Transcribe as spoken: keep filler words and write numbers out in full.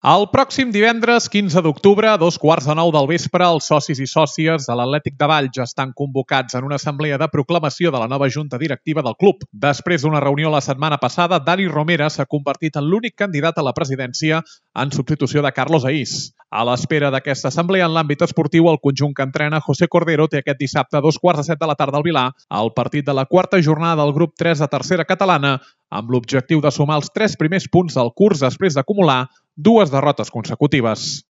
El pròxim divendres quinze d'octubre, a dos quarts de nou del vespre, els socis i sòcies de l'Atlètic de Valls estan convocats en una assemblea de proclamació de la nova junta directiva del club. Després d'una reunió la setmana passada, Dani Romera s'ha convertit en l'únic candidat a la presidència en substitució de Carlos Aís. A l'espera d'aquesta assemblea en l'àmbit esportiu, el conjunt que entrena José Cordero té aquest dissabte a dos quarts de set de la tarda al Vilar el partit de la quarta jornada del grup tres de tercera catalana, amb l'objectiu de sumar els tres primers punts del curs després d'acumular dues derrotes consecutives.